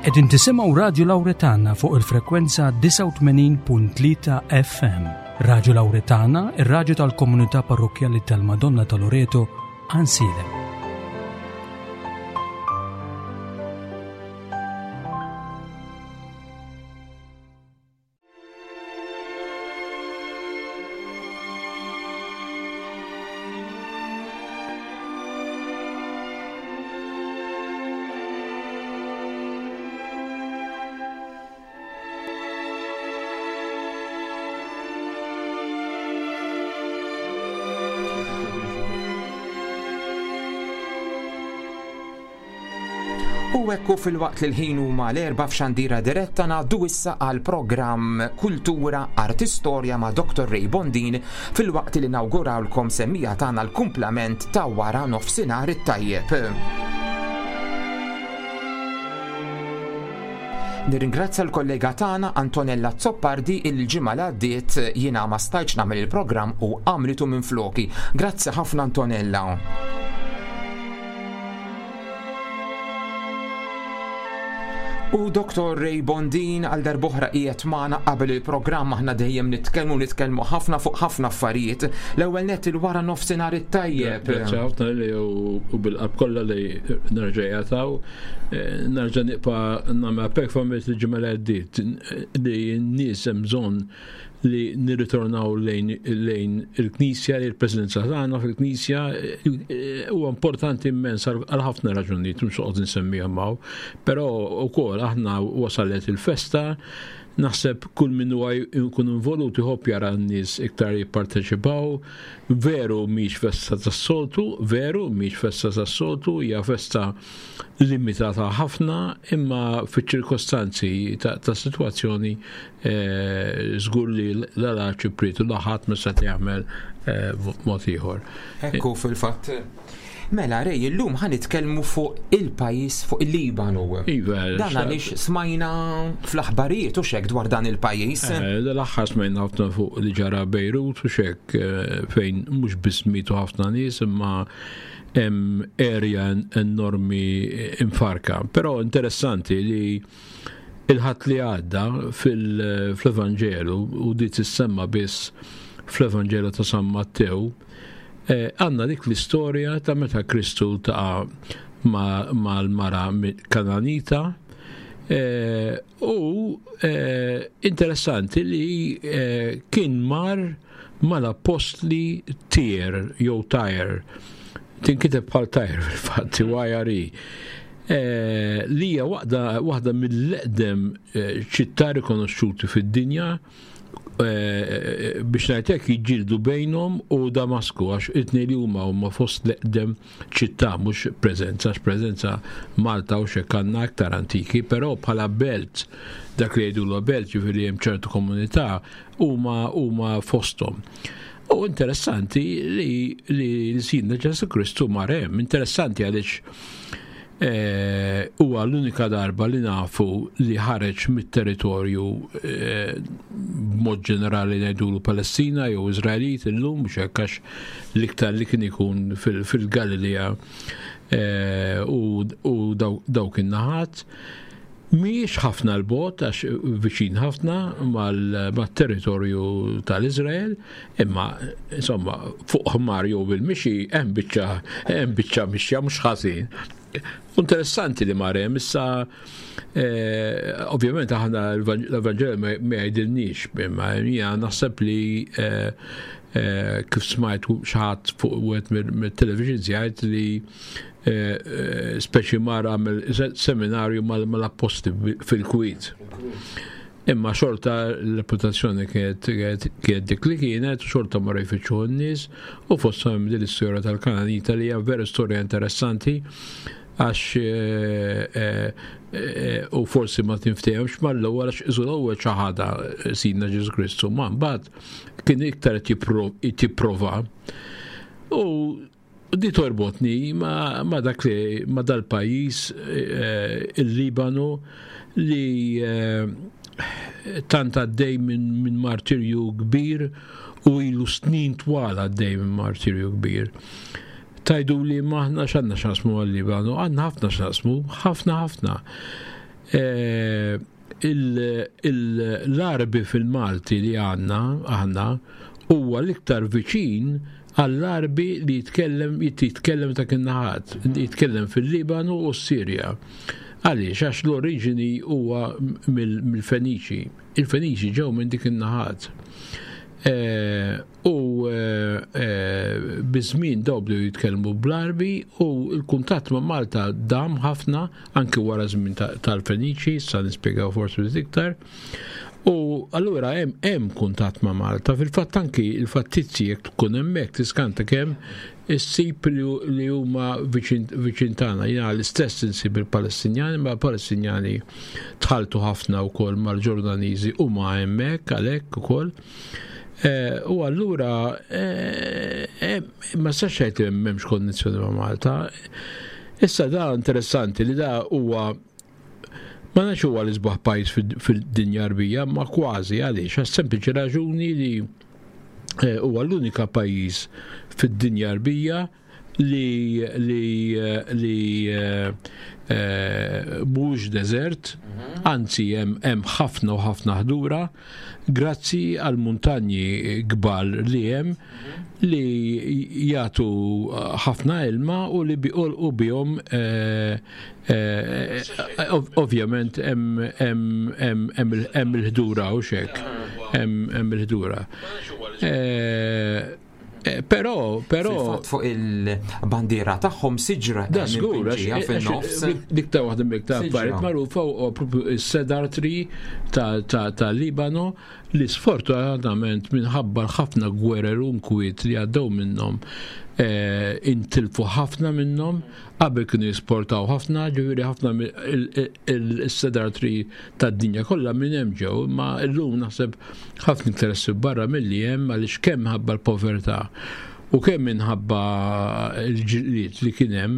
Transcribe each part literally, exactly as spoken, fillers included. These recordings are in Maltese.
Qegħdin tisimgħu Radju Lawretana fuq il-frekwenza disgħa u tmenin punt tlieta F M. Radju Lawretana, ir-radju tal-komunità parrokkjali tal-Madonna ta' Loreto, Għajnsielem. U ekku fil-waqt li l-ħin huma l-erba' f'xandira diretta ngħaddu issa għal programm Kultura Artistorja ma' Doktor Ray Bondin fil-waqt li nawgurawlkom semmija tagħna l-kumplament ta' wara nofsinhar it-tajjeb. Nirringrazzja l-kollega tagħna Antonella Zoppardi il-ġimgħa li għaddiet jiena ma stajtx nagħmel il-programm u għamlitu minn floki. Grazzi ħafna Antonella. U Doktor Ray Bondin għal darb'oħra qiegħed magħna qabel il-programm aħna dejjem nitkellmu nitkellmu ħafna fuq ħafna affarijiet. L-ewwel nett il-wara nofsinhar it-tajjeb. Grazzi ħafna li u, u bil-qalb kollha li nerġa' jagħtaw. Eh, nerġa' nibqa' nagħmel performance il-ġimgħa li għaddiet li n-nies hemm bżonn li nirritornaw lejn, lejn il-Knisja, li l-preżenza tagħna fil-Knisja, eh, huwa importanti immens għal, għal ħafna raġunijiet, mhux noqgħod insemmihom hawn, però wkoll aħna wasalet il-festa, naħseb kull min huwa jkun involut iħobb jara n-nies iktar jipparteċipaw. Veru mhix festa tas-soltu, veru mhix festa tas-soltu, hija festa limitata ħafna, imma fiċ-ċirkostanzi ta', ta' sitwazzjoni, eh, żgur li l-arċipriet u l-ħadd ma seta' jagħmel, eh, mod ieħor. Ekku fil-fatt. Mela, Ray, illum ħa nitkellmu fuq il-pajjiż, fuq il-Libanu. Iva, Dan xa- għaliex smajna fl-aħbarijiet u xek dwar dan il-pajjiż. Eh, dal-aħħar smajna ħafna fuq li ġara Bejrut u xek, eh, fejn mhux biss mietu ħafna nies, imma hemm area enormi imfarka. Però interessanti li il-ħadd li għadda fil-, fl-Evanġelu, u di tissemma biss fl-Evanġelu ta' San Mattew, eh, għandna dik l-istorja ta' meta Kristu ltaqa' ma-, mal-mara Kananita, eh, u, eh, interessanti li, eh, kien mar mal-apostli Tir jew Tyre, tinkiteb bħal Tyre fil-fatt, Y R E. Eh, li hija waħda, waħda mill-eqdem, eh, ċittà rikonoxxuti fid-dinja, eh, biex ngħid hekk jiġġieldu bejnhom u Damasku, għax it-tnejn li huma huma fost l-eqdem ċittà, mhux preżenza, għax preżenza Malta u x'hekk għandna aktar antiki, però bħala belt, dak li jgħidulu belt, ġifieri hemm ċertu komunità, huma, huma fosthom. U interessanti li, li l-Sidna Ġesù Kristu mar hemm, interessanti għaliex, eh, huwa l-unika darba li nafu li ħareġ mit-territorju, eh, b'mod ġenerali ngħidulu Palestina jew Iżraelit illum, mhux hekk għax l-iktar li kien ikun fil-, fil-Galilea, eh, u, u daw-, dawk in-naħat. Mhijiex ħafna l-bogħod, għax viċin ħafna mal-, mat-territorju tal-Iżrael, imma insomma fuq ħmar jew bil-mixi hemm biċċa, hemm biċċa mixja mhux ħażin. Interessanti li mar hemm issa, eh, ovvjament aħna l-Evanġelju ma, ma jgħidilniex, imma jiena naħseb li, eh, eh, kif smajt xi ħadd fuq wieħed mill-, mill-television jgħid li, eh, eh, speċi mar għamel se-, seminarju mal-, mal-apostli fil-Kwiet. Imma xorta l-reputazzjoni kienet, kienet, kienet dik li kienet, xorta marru jfittxu n-nies, u fosthom hemm din l-istorja tal-Kananita li hija vera storja interessanti, għax, eh, eh, eh, u forsi ma tinftehemx mal-ewwel għax iżu l-ewwel xi ħaġa Sidna Ġesù Kristu, ma mbagħad kien iktar qed jippro-, jipprova. U di torbotni ma, ma dak li, ma dal-pajjiż, eh, il-Libanu, li, eh, tant għaddej minn, minn martirju kbir u ilu snin twal għaddej minn martirju kbir. Tajdu li maħna x'għandna x'naqsmu għal-Libanu, għandna ħafna x'naqsmu, ħafna ħafna. Eh, L-Għarbi fil-Malti li għandna aħna huwa l-iktar viċin għall-Għarbi li jitkellem jitkellem ta' in-naħat, jitkellem fil-Libanu u s-Sirja. Għaliex, għax l-oriġini huwa mill-Feniċi. Il-Feniċi ġew minn dik in-naħat. Eh, u eh, eh, biż-żmien daw bdew jitkellmu bl-Għarbi u l-kuntatt ma' Malta dam ħafna anke wara żmien tal-Feniċi, sa nispjegaw forsi iktar. U allura hemm hemm kuntatt ma' Malta. Fil-fatt anki il-fattizzi jekk tkun hemmhekk tiskanta kemm issib li huma viċin tagħna. Jiena l-istess insib il-Palestinjani, ma l-Palestinjani tħaltu ħafna wkoll mal-Ġordaniżi u ma hemmhekk għalhekk ukoll. Eh, u allura eh, eh, ma sax ngħid li m'hemmx konnessjoni ma' Malta. Issa da interessanti li da huwa ma nafx huwa l-isbaħ pajjiż fid-dinja Għarbija, ma kważi. Għaliex? Għas sempliċi raġuni li huwa l-unika pajjiż fid-dinja Għarbija li li li mhux deżert, mhm. anzi hemm ħafna u ħafna ħdura, grazzi għal muntanji kbar li hemm li jagħtu ħafna ilma u li u bihom eh, eh, ovvjament hemm il-ħdura u xek, hemm il-ħdura. Eh, però, però. Fuq il-bandiera tagħhom siġra. Da żgur, fin-nofs. Dik ta' waħda mill-iktar affarijiet magħrufa u propju is-cedar tree ta' Libano li sfortunatament minħabba ħafna gwerer u nkwiet li għaddew minnhom eh, intilfu ħafna minnhom. Qabel kienu jisportaw ħafna, ġifieri ħafna il-cedar tree tad-dinja kollha minn hemm ġew, ma llum naħseb ħafna interessi barra milli hemm, għaliex kemm ħabba l-povertà u kemm minħabba l-ġlied li kien hemm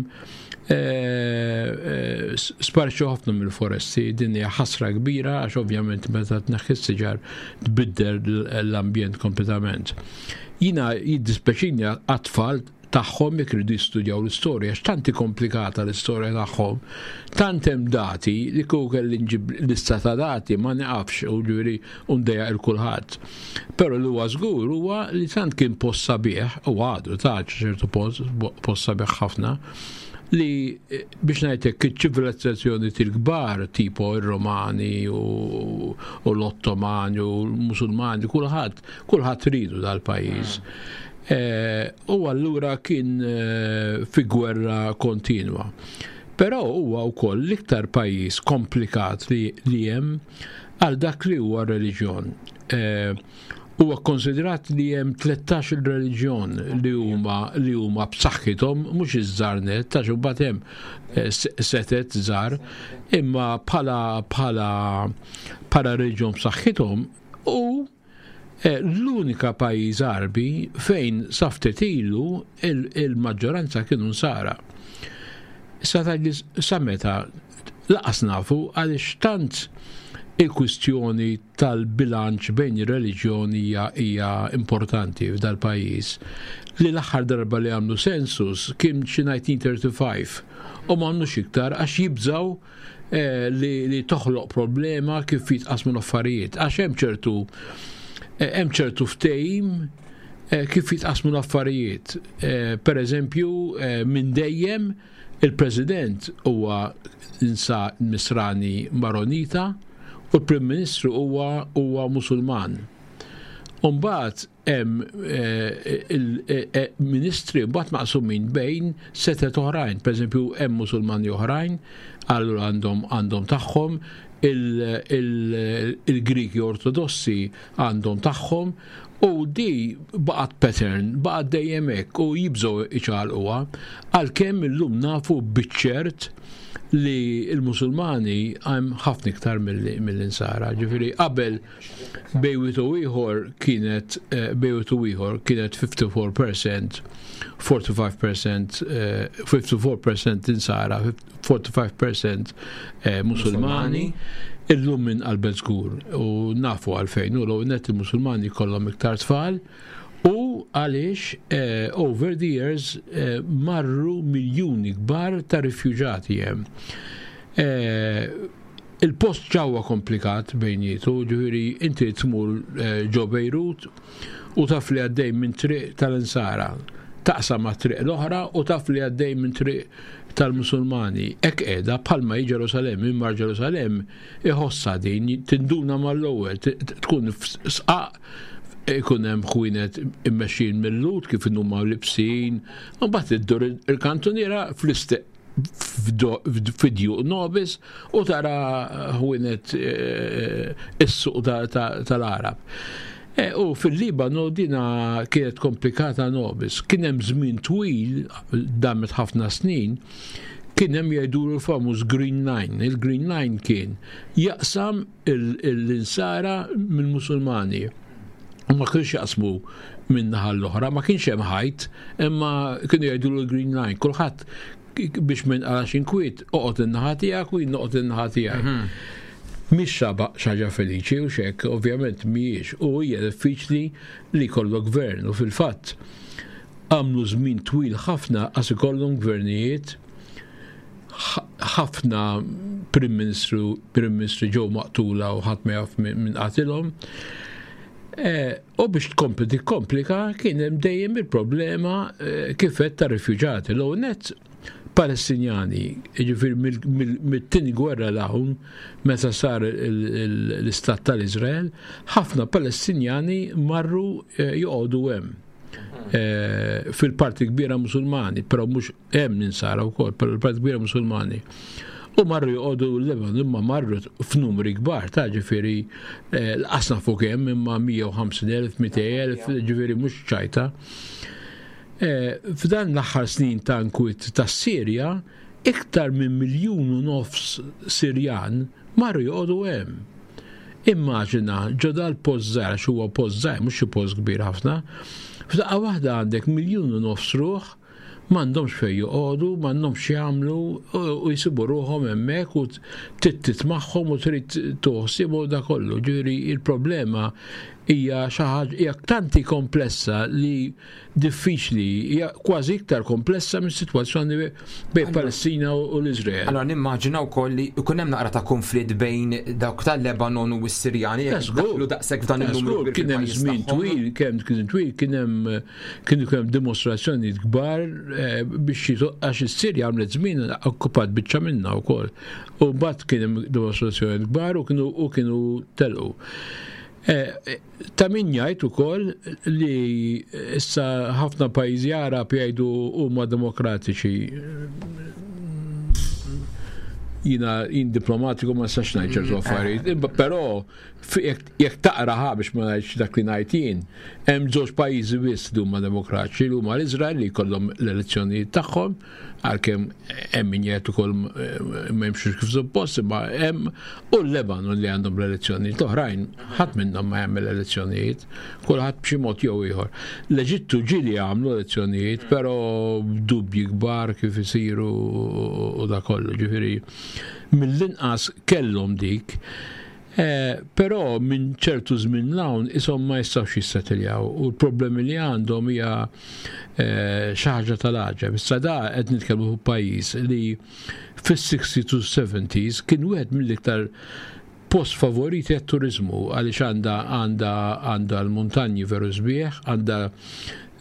eh, eh, sparixxu ħafna mill-foresti. Din hija ħasra kbira għax ovvjament meta tneħħi s-siġar tbiddel l-ambjent kompletament. Jiena jiddispeċini għat-tfal tagħhom jekk iridu jistudjaw l-istorja, għax tanti komplikata l-istorja tagħhom, tant hemm dati li kieku kelli nġib lista ta' dati ma nieqafx u ġifieri ndejjaq 'il kulħadd. Però li huwa żgur huwa li tant kien post sabiħ u għadu ta' ċertu post post sabiħ ħafna li eh, biex ngħidlek iċ-ċivilizzazzjoni til-kbar tipo ir-Romani u, u l-Ottomani u l-Musulmani, kulħadd kulħadd ridu dal-pajjiż. Eh, u allura kien eh, fi gwerra kontinwa. Però huwa wkoll l-iktar pajjiż komplikat li, li hemm għal dak li huwa reliġjon. Eh, huwa konsiderat li hemm tlettax il reliġjon li huma li huma b'saħħithom, mhux iż-żgħar net, ta' mbagħad hemm eh, setet żgħar, imma bħala bħala bħala reliġjon b'saħħithom u eh, l-unika pajjiż Għarbi fejn sa ftit ilu il-maġġoranza kienu Nsara. Sa sa meta lanqas nafu, għaliex tant il-kwistjoni tal-bilanċ bejn ir-reliġjoni hija hija importanti f'dal pajjiż li l-aħħar darba li għamlu census kien xi elf disa' mija u tlieta u tletin u m'għamlux iktar għax jibżaw eh, li, li toħloq problema kif jitqasmu l-affarijiet, għax hemm ċertu eh, hemm ċertu ftehim eh, kif jitqasmu l-affarijiet. Per eżempju, minn dejjem il-President huwa insa Nisrani Maronita u l-Prim Ministru huwa huwa Musulman. Umbagħad hemm il-ministri mbagħad maqsumin bejn setet oħrajn, pereżempju hemm Musulmani oħrajn, allura għandhom għandhom tagħhom, il-Griki Ortodossi għandhom tagħhom u di baqgħet pattern, baqgħet dejjem hekk u jibżgħu iċaqalquha, għalkemm illum nafu biċ-ċert li il-Musulmani hemm ħafna iktar mill-Insara. Ġifieri qabel bejn u ieħor kienet eh, bejn u ieħor kienet ħamsa u erbgħin fil-mija, erbgħa u ħamsin fil-mija, ħamsa u erbgħin fil-mija Insara, erbgħa u ħamsin fil-mija eh, Musulmani. Illum minn qalbet żgur u nafu għalfejn u l net il-Musulmani kollhom iktar tfal u għaliex eh, over the years eh, marru miljuni kbar ta' rifuġati hemm. Eh, Il-post ġewwa komplikat bejnietu, ġifieri inti tmur eh, ġo Bejrut u taf li għaddej minn triq tal-Insara, taqsam ma' triq l-oħra u taf li għaddej minn triq tal-Musulmani. Hekk qiegħda bħalma hi Ġerusalem, min mar Ġerusalem iħossha din, tinduna mal-ewwel, tkun f'sqaq ikun hemm ħwienet immexxin mill-Lhud kif huma libsin, u mbagħad iddur il-kantuniera fl-istess f'djuq nobis u tara ħwienet eh, is-suq tal-Arab. E, u fil-Libanu dina kienet komplikata nobis. Kien hemm żmien twil, damet ħafna snin, kien hemm jgħidulu l-famuż Green Line. Il-Green Line kien jaqsam l-insara mill-Musulmani. U ma kienx jaqsmu minn naħa l-oħra, ma kienx hemm ħajt, imma kienu jgħidulu l-Green Line. Kulħadd biex minn għalax inkwiet, oqgħod in-naħa tiegħek u jien noqgħod in-naħa tiegħi. Mhm. Mhix xi ħaġa feliċi u xek, ovvjament mhijiex, u hija diffiċli li jkollok gvern u fil-fatt għamlu żmien twil ħafna għas ikollhom gvernijiet ħafna Prim Ministru Prim Ministri ġew maqtula u ħadd ma jaf min qatilhom. E, u biex tkompli tikkomplika kien hemm dejjem il-problema e, kif qed ta' rifuġati. L net Palestinjani, ġifieri mit-tieni gwerra 'l hawn, meta sar l-istat tal-Izrael, ħafna Palestinjani marru eh, joqogħdu hemm. Eh, fil-parti kbira musulmani, però mhux hemm ninsara wkoll, però l-parti kbira musulmani. U marru joqogħdu l-Lebanon, imma marru f'numri kbar, ta' ġifieri eh, l-qasna fuq hemm imma mija u ħamsin elf, mitejn elf, ġifieri mhux ċajta. Eh, f'dan l-aħħar snin ta' nkwiet ta' Sirja, iktar minn miljun u nofs Sirjan marru joqogħdu hemm. Immaġina, ġo dal-post żgħar, għax huwa post żgħar, mhux xi post kbir ħafna, f'daqqa waħda għandek miljun u nofs ruħ m'għandhomx fejn joqogħdu, m'għandhomx jagħmlu u jsibu ruħhom hemmhekk u tittit magħhom u trid toħsib u da kollu. Ġifieri il-problema hija xi ħaġa hija tanti komplessa li diffiċli, hija kważi iktar komplessa minn sitwazzjoni bejn Palestina u l-Iżrael. Allora nimmaġina wkoll li jkun hemm naqra ta' konflitt bejn dawk tal-Lebanon u s-Sirjani jekk daħlu daqshekk f'dan il-numru. Kien hemm żmien twil, kemm kien twil, kien hemm kienu kemm dimostrazzjoni kbar eh, biex għax is-Sirja għamlet żmien okkupat biċċa minnha wkoll. U mbagħad kien hemm dimostrazzjoni kbar u kienu u kienu telqu. Eh, ta' min jgħid ukoll li issa ħafna pajjiżi Arab jgħidu huma demokratiċi. Jiena jien diplomatiku ma nistax ngħid ċertu mm, affarijiet, imma però jekk taqra ħa biex ma ngħidx dak li ngħid jien, hemm żewġ pajjiżi biss li huma demokratiċi li huma l-Iżrael li jkollhom l-elezzjonijiet tagħhom, għalkemm hemm min jgħid ukoll eh, ma jimxux kif suppost, imma hemm u l-Lebanon li għandhom l-elezzjonijiet. L-oħrajn ħadd minnhom ma jagħmel elezzjonijiet, kulħadd b'xi mod jew ieħor. L-Eġittu ġieli għamlu elezzjonijiet, però dubji kbar kif isiru u da kollu, ġifieri mill-inqas kellhom dik. Eh, però minn ċertu żmien 'l hawn ishom ma jistgħux jissettiljaw u l-problemi li għandhom hija eh, xi ħaġa tal-għaġeb. Issa da qed nitkellmu fuq pajjiż li fis-sixties to seventies kien wieħed mill-iktar post favoriti għat-turizmu għaliex għandha għandha għandha l-muntanji veru sbieħ, għandha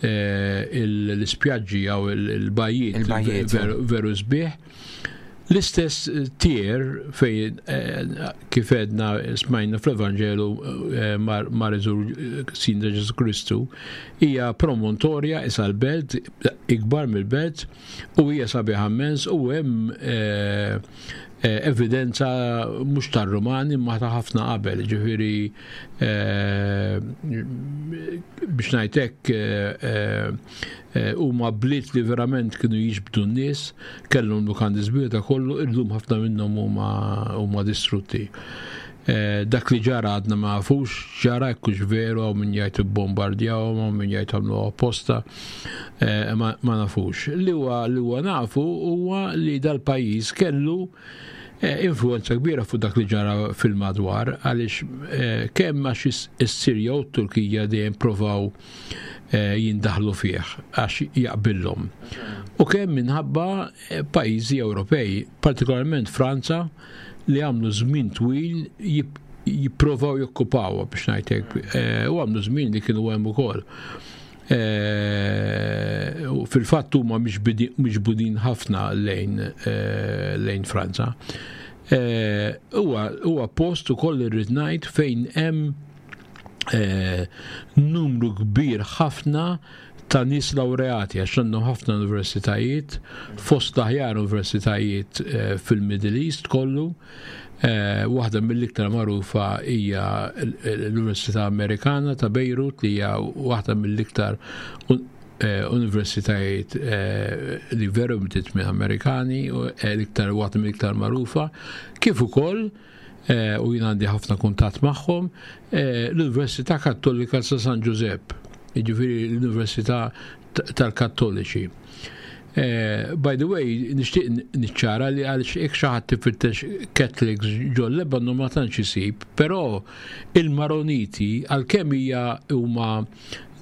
eh, l-ispjaġġi jew il-bajjiet veru sbieħ. L-istess Tir fejn eh, kif edna smajna fl-Evanġelu eh, mar iżur Sidna Ġesù Kristu hija promontorja isa l-belt ikbar mill-belt u hija sabiħa immens u hemm eh, evidenza mhux tar-Rumani ma ta' ħafna qabel, ġifieri biex ngħidlek huma bliet li verament kienu jiġbdu n-nies, kellhom lukandi sbieħ ta' kollu, illum ħafna minnhom huma distrutti. Dak li ġara għadna ma nafux, ġara jekkux veru, hawn min jgħid bombardjaw, hawn min jgħid għamlu apposta, ma nafux. Li huwa li huwa nafu huwa li dal-pajjiż kellu Influenza kbira fuq dak li ġara fil-madwar, għaliex kemm għax is-Sirja u t-Turkija dejjem provaw jindaħlu fih għax jaqbillhom. U kemm minħabba pajjiżi Ewropej, partikolarment Franza, li għamlu żmien twil jipprovaw jokkupaw biex ngħidlek, u għamlu żmien li kienu hemm ukoll. Fil-fatt huma miġbudin ħafna lejn lejn Franza. Huwa post ukoll irrid ngħid fejn hemm numru kbir ħafna ta' nies laureati, għax għandhom ħafna universitajiet, fost l-aħjar universitajiet fil-Middle East kollu. Waħda mill-iktar magħrufa hija l-Università Amerikana ta' Beirut, li hija waħda mill-iktar universitajiet li veru bdiet minn Amerikani, u l-iktar waħda mill-iktar magħrufa, kif ukoll, u jien għandi ħafna kuntatt magħhom, l-Università Kattolika ta' San Giuseppe, jiġifieri l-Università tal-Kattoliċi. By the way, nixtieq niċċara li għaliex jekk xi ħadd tifittex Catholics ġol Lebanon ma tantx isib, però il-Maroniti għalkemm hija huma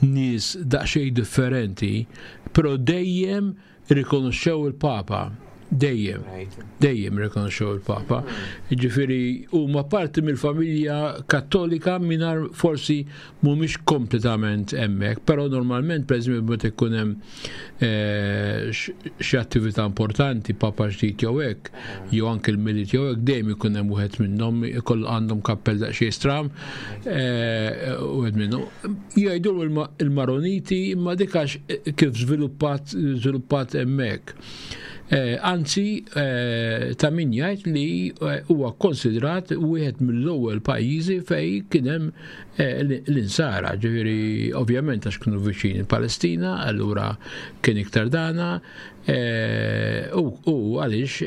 nies daqsxejn differenti, però dejjem rikonoxxew il-Papa. Dejjem, dejjem rikonoxxew il-Papa. Jiġifieri huma parti mill-familja Kattolika mingħajr forsi mhumiex kompletament hemmhekk, però normalment pereżempju meta jkun hemm xi attività importanti, Papa ġdid jew hekk, jew anke l-Milied jew hekk, dejjem ikun hemm wieħed minnhom ikoll għandhom kappell daqsxejn stram, wieħed minnhom. Jgħidu il-Maroniti, imma dik għax kif żviluppat żviluppat hemmhekk. Anzi, ta' min jgħid li huwa konsidrat wieħed mill-ewwel pajjiżi fejn kien hemm l-insara, ġifieri ovvjament għax kienu viċin il-Palestina, allura kien iktar dana, u għaliex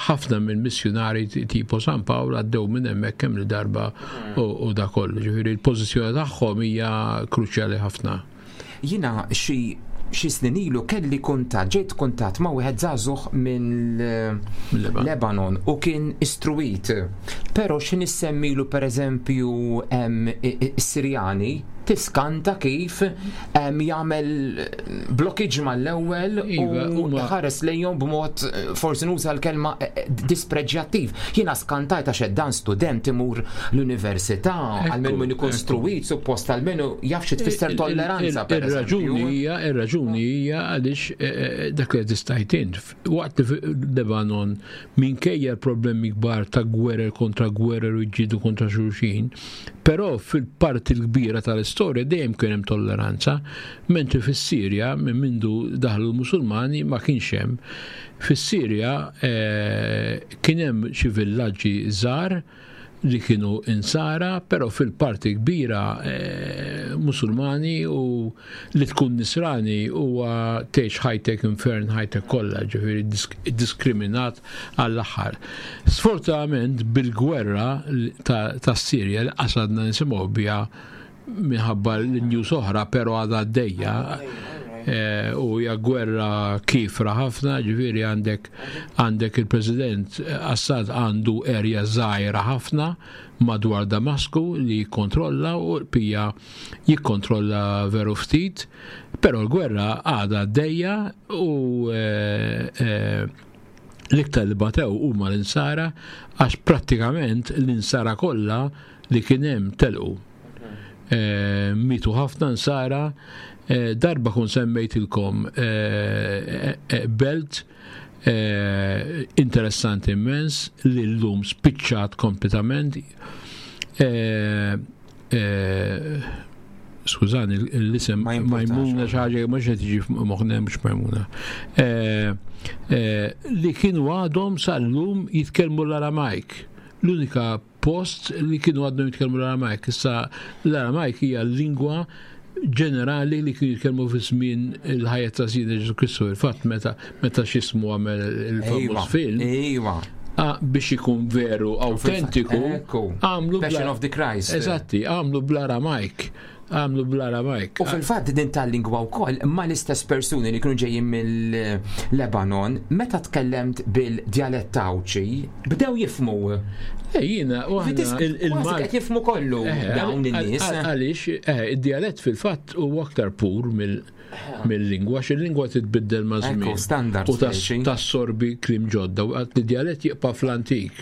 ħafna mill-missjunari tipo San Pawl għaddew minn hemmhekk kemm il-darba u da kollu, ġifieri l-pożizzjoni tagħhom hija kruċjali ħafna. Jiena xi xi snin ilu kelli kuntatt, ġejt kuntatt ma' wieħed żagħżugħ minn Lebanon u kien istruit. Però xi nissemmilu pereżempju is-Sirjani, tiskanta kif jagħmel blockage mal-ewwel u ħares lejhom b'mod, forsi nuża l-kelma, dispreġjattiv. Jiena skantajt għax dan student imur l-università, għalmenu min ikun struit, suppost għalmenu jaf xi tfisser tolleranza. Ir-raġuni hija, ir-raġuni hija għaliex dak li tistajt int. Waqt li Lebanon minkejja l-problemi kbar ta' gwerer kontra gwerer u jġidu kontra xulxin, però fil-parti l-kbira tal-istorja dejjem kien hemm tolleranza, mentri fis-Sirja minn mindu daħlu l-Musulmani ma kienx hemm. Fis-Sirja kien hemm xi villaġġi żgħar li kienu insara, però fil-parti kbira Musulmani, u li tkun nisrani huwa tgħix ħajtek infern ħajtek kollha, ġifieri diskriminat għall-aħħar. Sfortunatament bil-gwerra tas-Sirja li qasadna nisimgħu biha minħabba l-news oħra, però għadha għaddejja, u hija gwerra kifra ħafna, ġifieri għandek għandek il-President Assad għandu erja żgħira ħafna madwar Damasku li jikkontrolla, u l-pija jikkontrolla veru ftit, però l-gwerra għadha għaddejja u l-iktar li batew huma l-insara, għax prattikament l-insara kollha li kien hemm telqu. Mitu ħafna nsara. Darba kun semmejtilkom belt interessanti immens li llum spiċċat kompletament. Skużani, l-isem Majmuna xi ħaġa mhux qed tiġi f'moħħna, mhux Majmuna. Li kienu għadhom sal-lum jitkellmu l-Aramajk. L-unika post li kienu għadhom jitkellmu l-Aramajk. Issa l-Aramajk hija l-lingwa ġenerali li kienu jitkellmu fi żmien il-ħajja ta' Sidna Ġesu Kristu. Il-fatt meta meta x'ismu għamel il-famuż film. Ejwa. Biex ikun veru autentiku, għamlu Passion of the Christ. Eżatti, għamlu bl-Aramajk. Għamlu bl-Aramajk. U fil-fatt din tal-lingwa wkoll ma l-istess persuni li kienu ġejjin mill-Lebanon, meta tkellemt bil-djalett Għawdxi, bdew jifhmu. Eh, jiena, u aħna il-Malti qed jifhmu kollu eh, dawn in-nies. Għaliex, eh, id-djalett fil-fatt huwa aktar pur mill-lingwa, għax il-lingwa titbiddel ma' żmien. Standard. U tassorbi kliem ġodda, u id-djalett jibqa' fl-antik.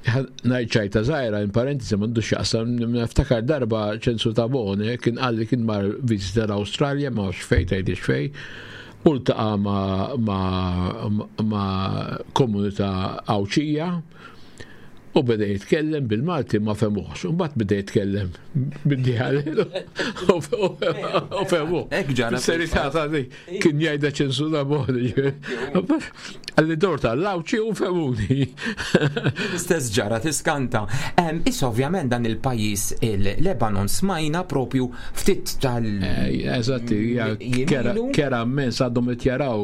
Ngħid ċajta żgħira, in parentesi, m'għandux x'jaqsam, niftakar darba Ċensu Tabone kien qalli kien mar vizita l-Awstralja, ma nafx fejn, tgħidix fejn, u ltaqa' ma', ma', ma' komunità Għawdxija u beda jitkellem bil-Malti, ma fehmuhx. U mbagħad beda jitkellem bid-djalett u fehmuh. Hekk ġara. Serità ta' di kien jgħidha Ċensu Tabone. Qalli dort għall-Għawdxi u fehmuni. L-istess ġara, tiskanta. Em, Issa ovvjament dan il-pajjiż il-Lebanon smajna propju ftit tal- Eh, Eżatti, hija kera Jemilu. Kera immens, għadhom qed jaraw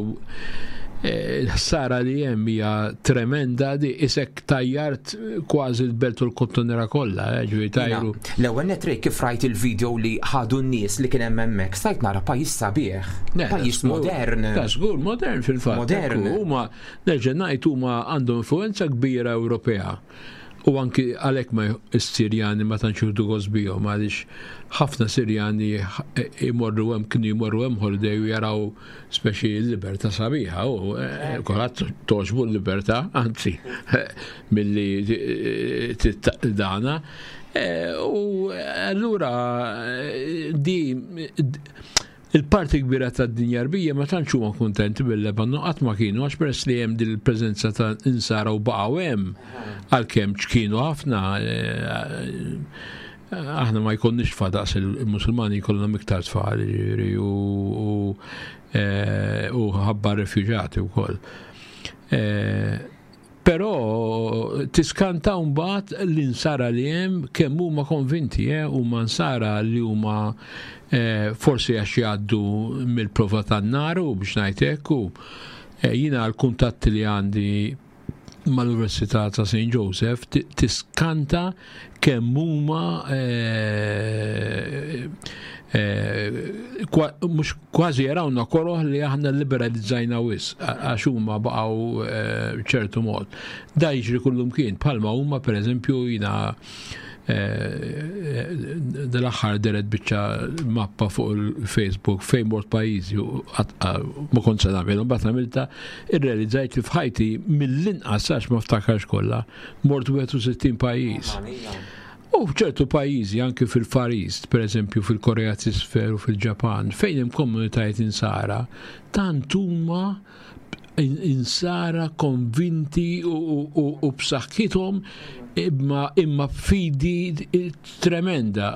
eh, il-ħsara li hemm hija tremenda, di isek tajjart kważi l-belt u l-kottonera kollha, eh, ġifieri tajru. Jiena, l-ewwel nett kif rajt il-video li ħadu n-nies li kien hemm hemmhekk, stajt nara pajjiż sabiħ, Ne, pajjiż żgur. modern. Ta' żgur, modern fil-fatt. Modern. Ekku, huma, nerġa' ngħid, huma għandhom influenza kbira Ewropea. U anki għalhekk ma s-Sirjani ma tantx jieħdu gost bihom, għaliex ħafna Sirjani imorru hemm, kienu jmorru hemm holiday u jaraw speċi l-libertà sabiħa u eh, kulħadd togħġbu l-libertà, anzi milli eh, dana. Eh, U allura eh, di il-parti kbira tad-dinja Għarbija ma tantx huma kuntenti bil-Lebanon, qatt ma kienu, għax peress li hemm din il-preżenza ta' insara u baqgħu hemm għalkemm ċkienu ħafna, eh, aħna ma jkollniex tfal daqs il-Musulmani, jkollhom iktar tfal, jiġifieri, u u, eh, u ħabba refuġati wkoll. Eh, Però tiskanta mbagħad l-insara li hemm kemm huma konvinti, eh, huma nsara li huma eh, forsi għax jgħaddu mill-prova tan-nar u biex ngħid hekk, u eh, jiena l-kuntatti li għandi mal-Università ta' Saint Joseph, ti- tiskanta kemm huma eh, eh, kwa- mhux kważi jarawna koroh li aħna liberalizzajna wisq, għax huma baqgħu eh, ċertu mod. Da jiġri kullum kien, bħalma huma, pereżempju, jiena eh, dal-aħħar deret biċċa mappa fuq il-Facebook fejn mort pajjiżi u għat- ma kont se nagħmel, mbagħad għamilta, irrealizzajt li f'ħajti mill-inqas, għax ma ftakarx kollha, mort wieħed u sittin pajjiż. U f'ċertu pajjiżi, anke fil-Far East, per eżempju fil-Korea t'Isfel u fil-Ġapan, fejn hemm komunitajiet insara, tant huma in- insara konvinti u, u, u, u b'saħħithom imma imma fidi tremenda,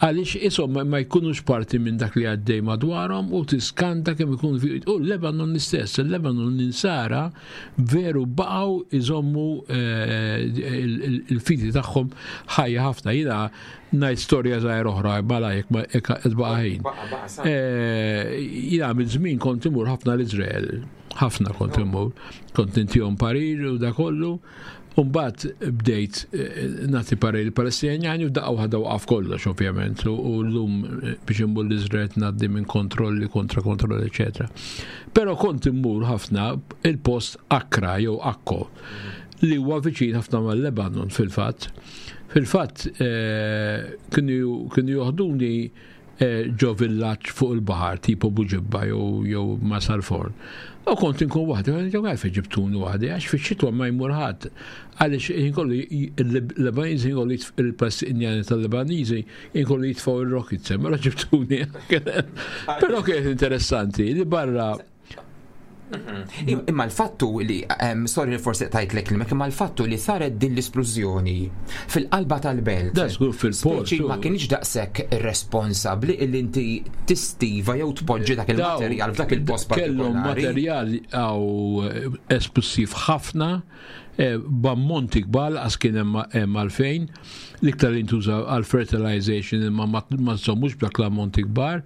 għaliex isom ma jkunux parti minn dak li għaddej madwarhom u tiskanta kemm ikun fi. U l-Lebanon l-istess, il-Lebanon l-insara veru baqgħu iżommu eh, il- il-fidi tagħhom ħajja ħafna. Jiena ngħid storja żgħira oħra bala jekk ma jekk qed baqa' ħin. Baqa, baqa, sa. Eh, Jiena minn żmien kont imur ħafna l-Iżrael, ħafna kont imur, kont intihom parir u da kollu. Umbat bdejt eh, nagħti parir il-Palestinjani u daqqa waħda waqaf kollox ovvjament, u u llum eh, biex immur l-Iżrael ngħaddi minn kontrolli kontra kontrolli, eċetera. Però kont immur ħafna il-post Akra jew Akko, li huwa viċin ħafna mal-Lebanon fil-fatt. Fil-fatt eh, kienu kienu joħduni eh, ġo villaġġ fuq il-baħar tipo Buġibba jew jew Marsalforn. U kont inkun waħdi, ġew għalfejn ġibtuni waħdi, għax fix-xitwa ma jmur ħadd. Għaliex inkollu il-Lebaniżi inkollu il-Palestinjani tal-Lebaniżi inkollu jitfgħu il-rockets, mela ġibtuni. Però kienet interessanti li barra Imma l-fattu li, em, sorry li forsi tajtlek il imma l-fattu li saret din l-esplużjoni fil-qalba tal-belt. Da żgur fil-port. Speċi ma kienx daqshekk irresponsabbli illi inti tistiva jew tpoġġi dak il-materjal f'dak il-post Kellhom partikolari. Materjal għaw esplosiv ħafna, eh, b'ammonti kbar, għax kien hemm hemm għalfejn, l-iktar li ntuża għal fertilization, imma ma ma żommux b'dak l-ammonti kbar,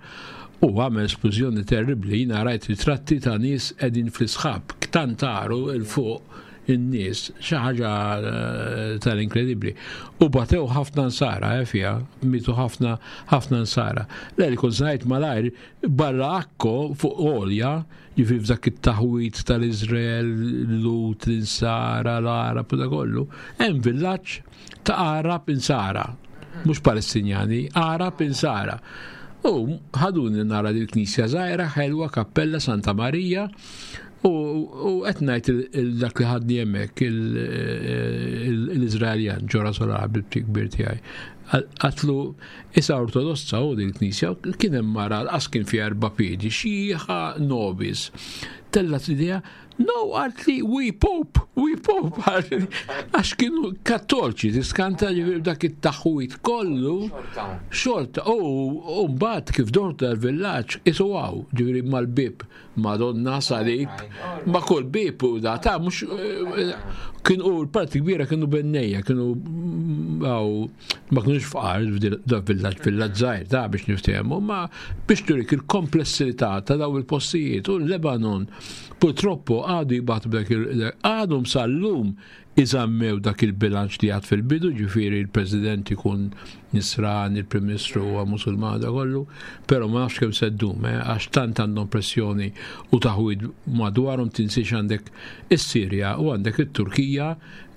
u għamel esplużjoni terribli. Jiena rajt ritratti ta' nies qegħdin fl-isħab, ktan taru il fuq. in-nies, xi ħaġa eh, tal-inkredibbli. U batew ħafna nsara eh, fiha, mitu ħafna ħafna nsara. Le li kont ngħid malajr barra Akko fuq għolja, jiġifieri f'dak it-taħwit tal-Iżrael, Lhud, l-Insara, l-Arab u da kollu, hemm villaġġ ta' Arab Insara, mhux Palestinjani, Arab Insara. U ħaduni nara dil-knisja żgħira, ħelwa, kappella Santa Marija, u qed ngħid dak li ħadni hemmhekk l-Iżraeljan ġora solar bil kbir tiegħi. Għedtlu issa ortodossa u din knisja kien hemm mara qas kien fi erba' piedi, xieħa nobis. Tellgħet idejha, no, għaltli, we pope, we pope, għax kienu kattolċi, tiskanta ġifieri dak it-taħwit kollu. Xorta, u mbagħad kif dort dal-villaġġ, isu għaw, ġifieri mal-bib, Madonna, salib, ma kull bib u da, ta' mux, kien u l-parti kbira kienu bennejja, kienu għaw, ma kienux fqar da villaġġ, villaġġ żgħir, ta' biex niftehmu, ma biex turik il-komplessità ta' daw il-postijiet u l-Lebanon purtroppo għadu jibgħatu dak għadhom sal-lum iżammew dak il-bilanċ li għad fil-bidu, ġifieri il-President ikun Nisran, il-Prim Ministru huwa Musulman da kollu, però ma nafx kemm se ddum, eh, għax tant għandhom pressjoni u taħwid madwarhom. Tinsiex għandek is-Sirja u għandek it-Turkija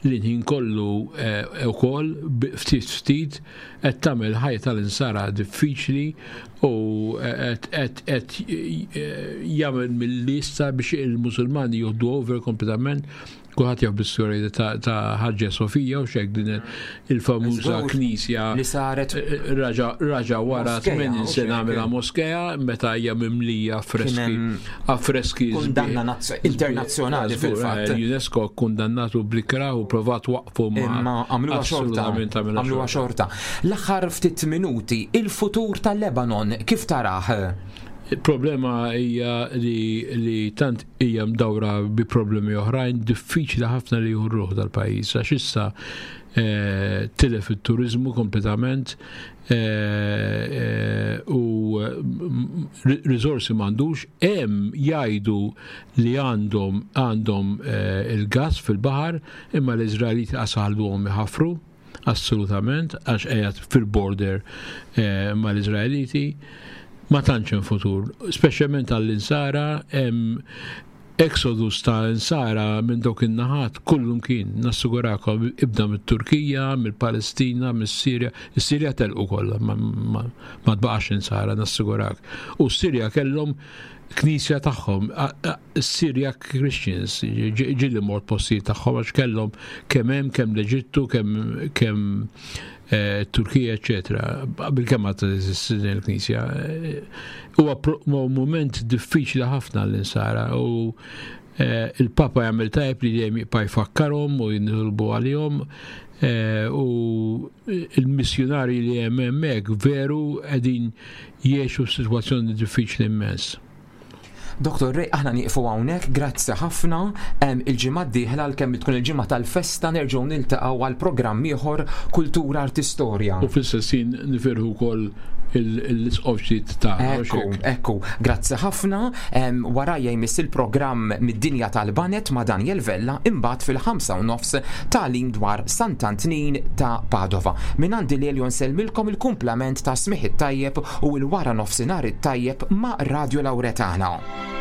li ħin kollu eh, ukoll ftit ftit qed tagħmel ħajja tal-insara diffiċli u qed qed jagħmel mill-lista biex il-Musulmani jieħdu over kompletament. Kulħadd jaf bis-storja ta' Ħaġġa Sofija u xek din il-famuża knisja li saret eh, raġa raġa wara tmenin sena għamilha moskea meta hija mimlija affreski affreski Kundanna internazzjonali fil-fatt. Eh, UNESCO kundannatu bl-ikrah u provat waqfu ma għamluha xorta. Għamluha xorta. L-aħħar ftit minuti, il-futur tal-Lebanon kif tarah? Il-problema hija li, li tant hija mdawra bi problemi oħrajn, diffiċli ħafna li jħurruh dal-pajjiż għax issa eh, tilef it-turizmu kompletament eh, eh, u risorsi m'għandux. Hemm jgħidu li għandhom għandhom il-gas fil-baħar, imma l-Iżraeliti qasalhom iħafru assolutament għax qiegħed fil-border mal-Iżraeliti. Ma tantx hemm futur, speċjalment għall-insara. Hemm exodus ta' insara minn dawk in-naħat kullum kien, nassigurakom, ibda mit-Turkija, mill-Palestina, mis-Sirja. Is-Sirja telqu kollha, ma, ma, ma tbaqax insara, nassigurak. U s-Sirja kellhom knisja tagħhom, Syria Christians, ġieli mort postijiet tagħhom għax kellhom kemm hemm kemm l-Eġittu, kemm kemm eh, Turkija, eċetera. Bil-kemm għad teżisti il-knisja. Huwa moment diffiċli ħafna l-insara u eh, il-Papa jagħmel tajb li dejjem jibqa' jfakkarhom u jinħolbu għalihom eh, u il-missjonari li hemm hemmhekk veru qegħdin jgħixu f'sitwazzjoni diffiċli immens. Doktor Ray, aħna nieqfu hawnhekk, grazzi ħafna. Il-ġimgħa d-dieħla, kemm tkun il-ġimgħa tal-festa, nerġgħu niltaqgħu għal programm ieħor Kultura Artistorja. U fl-istess ħin nifirħu wkoll l-isqof ġdid ta' Ekku, ekku, grazzi ħafna. Warajja jmiss il-programm mid-dinja tal-banet ma' Daniel Vella, imbagħad fil-ħamsa u nofs tagħlim dwar Sant'Antnin ta' Padova. Min għandi li nsellmilkom, il-kumplament ta' smigħ it-tajjeb u l-wara nofsinhar it-tajjeb ma' Radio Lauretana.